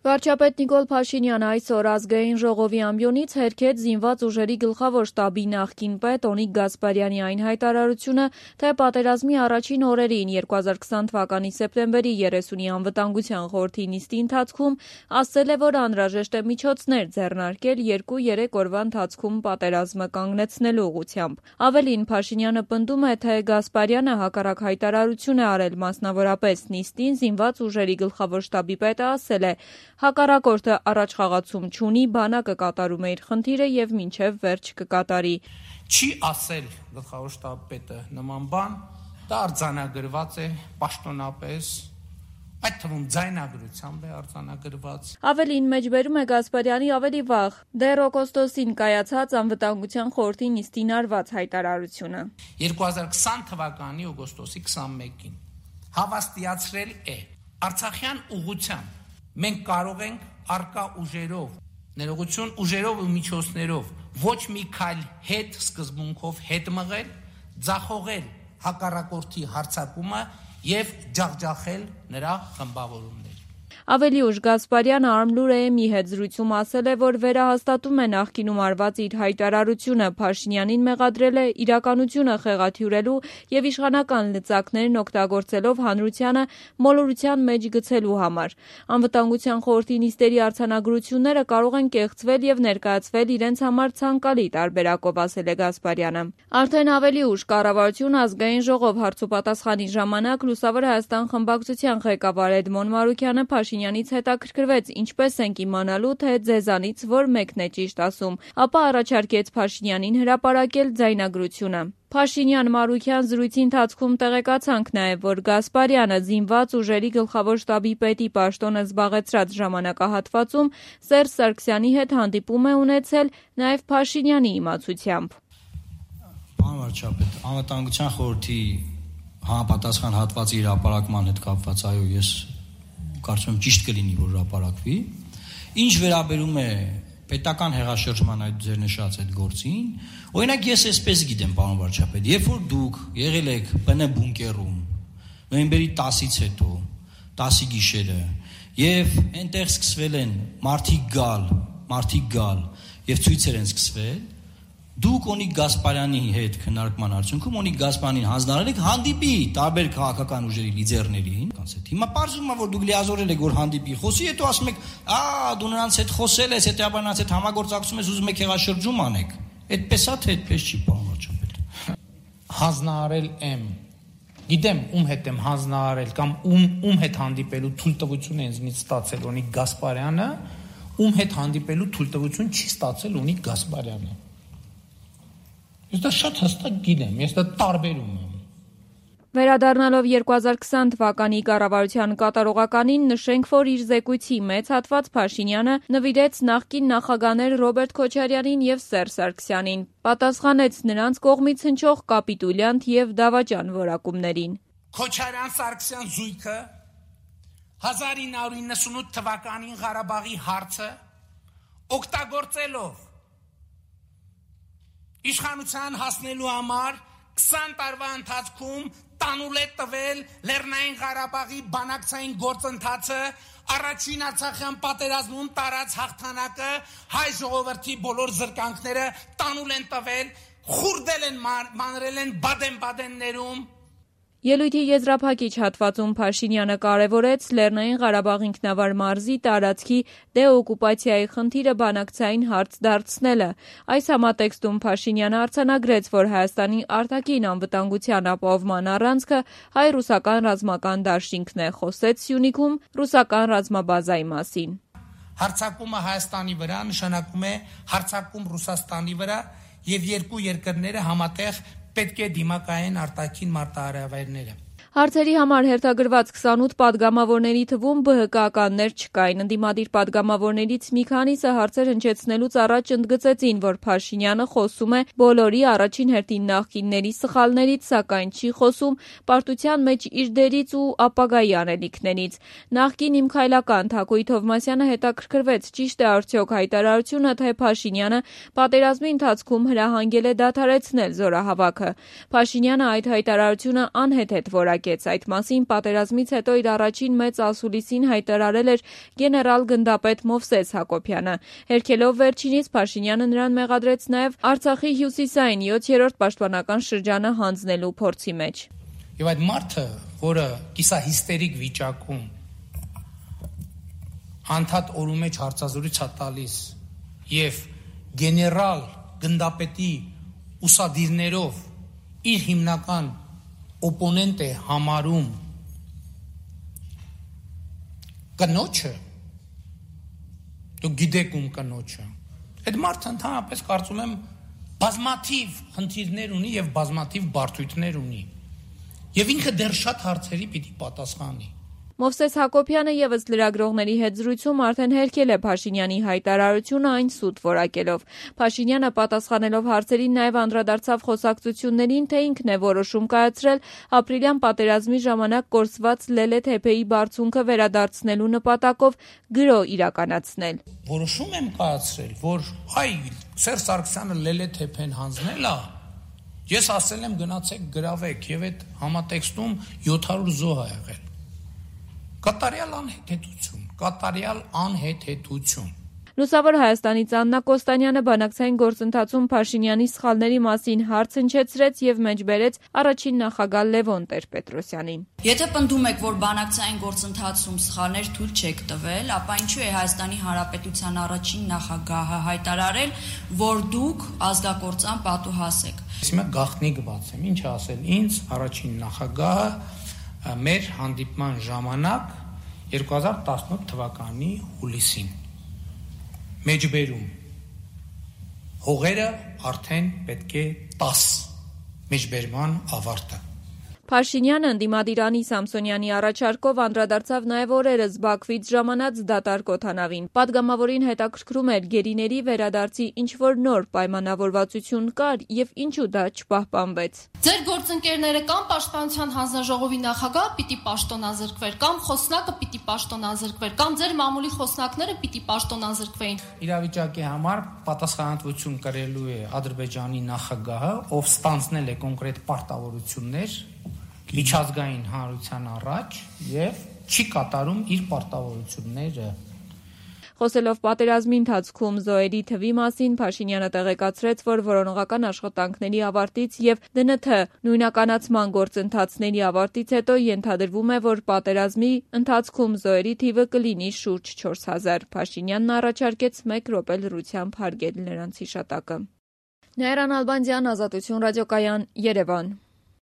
Վարչապետ Նիկոլ Փաշինյանը այսօր ազգային ժողովի ամբիոնից հերքեց զինված ուժերի գլխավոր շտաբի նախկին պետ Օնիկ Գասպարյանի այն հայտարարությունը, թե պատերազմի առաջին օրերին 2020 թվականի սեպտեմբերի 30-ի անվտանգության խորհրդի նիստի ընթացքում ասել է, որ անհրաժեշտ է միջոցներ ձեռնարկել 2-3 օրվա ընթացքում պատերազմը կանգնեցնելու ուղղությամբ։ Ավելին, Փաշինյանը պնդում է, թե Գասպարյանը հակառակ հայտարարություն է արել, մասնավորապես նիստին զինված ուժերի գլխավոր շտաբի պետը ասել է. Հակառակորդը առաջխաղացում չունի, բանակը կատարում է իր խնդիրը եւ մինչեւ վերջ կկատարի։ Չի ասել գլխավոր շտաբի պետը նման բան, դա արձանագրված է պաշտոնապես, այդ թվում ձայնագրությամբ է արձանագրված։ Ավելին մեջբերում է Գասպարյանի ավելի վաղ, դեռ օգոստոսին կայացած անվտանգության խորհրդի նիստին արված հայտարարությունը։ 2020 թվականի օգոստոսի 21-ին հավաստիացրել է Արցախյան ուղղությամբ մենք կարող ենք առկա ուժերով, ներողություն ուժերով ու միջոցներով ոչ մի քայլ հետ սկզբունքով հետ մղել, ձախողել հակառակորդի հարձակումը եւ ջախջախել նրա խմբավորումները։ Ավելի ուշ Գասպարյանը Արմլուրեի հետ զրույցում ասել է, որ վերահաստատում է նախկինում արված իր հայտարարությունը, Փաշինյանին մեղադրել է իրականությունը խեղաթյուրելու եւ իշխանական լծակներն օգտագործելով հանրությանը մոլորության մեջ գցելու համար։ Անվտանգության խորհրդի նիստերի արձանագրությունները կարող են կեղծվել եւ ներկայացվել իրենց համար ցանկալի տարբերակով, ասել է Գասպարյանը։ Արդեն ավելի ուշ կառավարություն ազգային ժողով հարցուպատասխանի ժամանակ Լուսավոր Հայաստան խմբակցության ղեկավար Էդմոն Մարուկյանը Փաշինյանից հետաքրքրվեց, ինչպես ենք իմանալու, թե ձեզանից որ մեկն է ճիշտ ասում, ապա առաջարկեց Փաշինյանին հրապարակել ձայնագրությունը։ Փաշինյան-Մարուկյան զրույցի ընթացքում տեղեկացանք նաև, որ Գասպարյանը զինված ուժերի գլխավոր շտաբի պետի պաշտոնը զբաղեցրած ժամանակահատվածում Սերժ Սարգսյանի հետ հանդիպում է ունեցել նաև Փաշինյանի իմացությամբ։ Պարոն վարչապետ, անվտանգության խորհրդի համապատասխան հատվածի հրապարակման հետ կապված, այո, ես կարծում եմ ճիշտ կլինի, որ հրապարակվի։ Ինչ վերաբերում է պետական հեղաշրջման այդ ձեր նշած այդ գործին, օրինակ ես այսպես գիտեմ, պարոն վարչապետ, երբ որ դուք եղել եք ՊՆ բունկերում նոյեմբերի 10-ից հետո, 10-ի գիշերը, եւ այնտեղ սկսվել են մարդիկ գալ եւ ցույցեր են սկսվել, դուք Օնիկ Գասպարյանի հետ քննարկման արդյունքում Օնիկ Գասպարյանին հանձնարարել եք հանդիպի տարբեր քաղաքական ուժերի լիդերներին, հիմա պարզվում է, որ դուք լիազորել եք, որ հանդիպի, խոսի, հետո ասում եք, դու նրանց հետ խոսել ես, հետեւաբար նրանց հետ համագործակցում ես, ուզում եք հեղաշրջում անեք։ Այդպես է, թե այդպես չի, պարոն վարչապետ։ Հանձնարարել եմ, գիտեմ ում հետ եմ հանձնարարել կամ ում հետ հանդիպելու թույլտվություն է ինձնից ստացել Օնիկ Գասպարյանը, ում հետ հանդիպելու թույլտվություն չի ստացել Օնիկ Գասպարյանը։ Ես դա շատ հստակ գիտեմ, ես դա տարբերում եմ։ Վերադառնալով 2020 թվականի կառավարության կատարողականին նշենք, որ իր զեկույցի մեծ հատված Փաշինյանը նվիրեց նախկին նախագահներ Ռոբերտ Քոչարյանին եւ Սերժ Սարգսյանին, պատասխանեց նրանց կողմից հնչող կապիտուլյանտ եւ դավաճան որակումներին։ Քոչարյան-Սարգսյան զույգը 1998 թվականին Ղարաբաղի հարցը օգտագործելով իշխանության հասնելու համար 20 տարվա ընթացքում տանուլ է տվել Լեռնային Ղարաբաղի բանակցային գործընթացը, առաջին Արցախյան պատերազմում տարած հաղթանակը, հայ ժողովրդի բոլոր զրկանքները տանուլ են տվել, խուրդել են, մանրել են Բադեն-Բադեններում։ Ելույթի եզրափակիչ հատվածում Փաշինյանը կարևորեց Լեռնային Ղարաբաղ ինքնավար մարզի տարածքի դեօկուպացիայի խնդիրը բանակցային հարց դարձնելը։ Այս համատեքստում Փաշինյանը արձանագրեց, որ Հայաստանի արտաքին անվտանգության ապահովման առանցքը հայ-ռուսական ռազմական դաշինքն է, խոսեց Սյունիքում ռուսական ռազմաբազայի մասին։ Հարձակումը Հայաստանի վրա նշանակում է հարձակում Ռուսաստանի վրա եւ երկու երկրները համատեղ պետք է դիմակայեն արտաքին մարտահրավերները։ Հարցերի համար հերթագրված 28 պատգամավորների թվում ԲՀԿ-ականներ չկային։ Ընդդիմադիր պատգամավորներից մի քանիսը հարցեր հնչեցնելուց առաջ ընդգծեցին, որ Փաշինյանը խոսում է բոլորի առաջին հերթին նախկինների սխալներից, սակայն չի խոսում պարտության մեջ իր դերից ու ապագայի անելիքներից։ Նախկին իմ քայլական Թակույ Թովմասյանը հետաքրքրվեց, ճիշտ է արդյոք հայտարարությունը, թե Փաշինյանը պատերազմի ընթացքում հրահանգել է դադարեցնել զորահավաքը։ Փաշինյանը այդ հայտարարությունը անհեթեթ որակ հրապարակեց։ Այդ մասին պատերազմից հետո իր առաջին մեծ ասուլիսին հայտարարել էր գեներալ գնդապետ Մովսես Հակոբյանը։ Հերքելով վերջինից Փաշինյանը նրան մեղադրեց նաև Արցախի հյուսիսային 7-րդ պաշտպանական շրջանը հանձնելու փորձի մեջ։ Եվ այդ մարդը, որը կիսահիստերիկ վիճակում անդադ օրու մեջ հարցազրույց է տալիս եւ գեներալ գնդապետի ուսադիրներով իր հիմնական օպոնենտ է համարում կնոջը, դուք գիտեք ում կնոջը, այդ մարդը ընդհանրապես կարծում եմ բազմաթիվ խնդիրներ ունի եւ բազմաթիվ բարդություններ ունի եւ ինքը դեռ շատ հարցերի պիտի պատասխանի։ Մովսես Հակոբյանը ևս լրագրողների հետ զրույցում արդեն հերքել է Փաշինյանի հայտարարությունը այն սուտ որակելով։ Փաշինյանը պատասխանելով հարցերին նաև անդրադարձավ խոսակցություններին, թե ինքն է որոշում կայացրել ապրիլյան պատերազմի ժամանակ կորսված Լելե թեփեի բարձունքը վերադարձնելու նպատակով գրո իրականացնել։ Որոշում եմ կայացրել, որ Սերժ Սարգսյանը Լելե թեփեն հանձնել է, ես ասել եմ գնացեք գրավեք եւ այդ համատեքստում 700 զոհ ա եղել։ Կատարյալ անհեթեթություն։ Լուսավոր Հայաստանից Աննա Կոստանյանը բանակցային գործընթացում Փաշինյանի սխալների մասին հարց հնչեցրեց եւ մեջբերեց առաջին նախագահ Լևոն Տեր-Պետրոսյանին։ Եթե պնդում եք, որ բանակցային գործընթացում սխալներ թույլ չեք տվել, ապա ինչու է Հայաստանի Հանրապետության առաջին նախագահը հայտարարել, որ դուք ազգակործան պատուհաս եք։ Հիմա գաղտնիք բացեմ, ինչ ասել ինձ առաջին նախագահը մեր հանդիպման ժամանակ 2018 թվականի հուլիսին մեջբերում հողերը արդեն պետք է 10 մեջբերման ավարտը։ Փաշինյանը ընդդիմադիր Անի Սամսոնյանի առաջարկով անդրադարձավ նաև օրերս Բաքվից ժամանած դատարկ օդանավին։ Պատգամավորին հետաքրքրում էր գերիների վերադարձի ինչ-որ նոր պայմանավորվածություն կար եւ ինչու դա չպահպանվեց։ Ձեր գործընկերները կամ Պաշտպանության հանձնաժողովի նախագահը պիտի պաշտոնազրկվեր, կամ խոսնակը պիտի պաշտոնազրկվեր, կամ ձեր մամուլի խոսնակները պիտի պաշտոնազրկվեին։ Իրավիճակի համար պատասխանատվություն կրելու է Ադրբեջանի նախագահը, ով ստանձնել է կոնկրետ պարտավորություններ միջազգային հանրության առաջ եւ չի կատարում իր պարտավորությունները։ Խոսելով պատերազմի ընթացքում զոհերի թվի մասին, Փաշինյանը տեղեկացրեց, որ որոնողական աշխատանքների ավարտից եւ ԴՆԹ նույնականացման գործընթացների ավարտից հետո ենթադրվում է, որ պատերազմի ընթացքում զոհերի թիվը կլինի շուրջ 4000։ Փաշինյանն առաջարկեց 1 րոպե լռությամբ հարգել նրանց հիշատակը։ Նայիրան Ալբանդյան, Ազատություն ռադիոկայան, Երևան։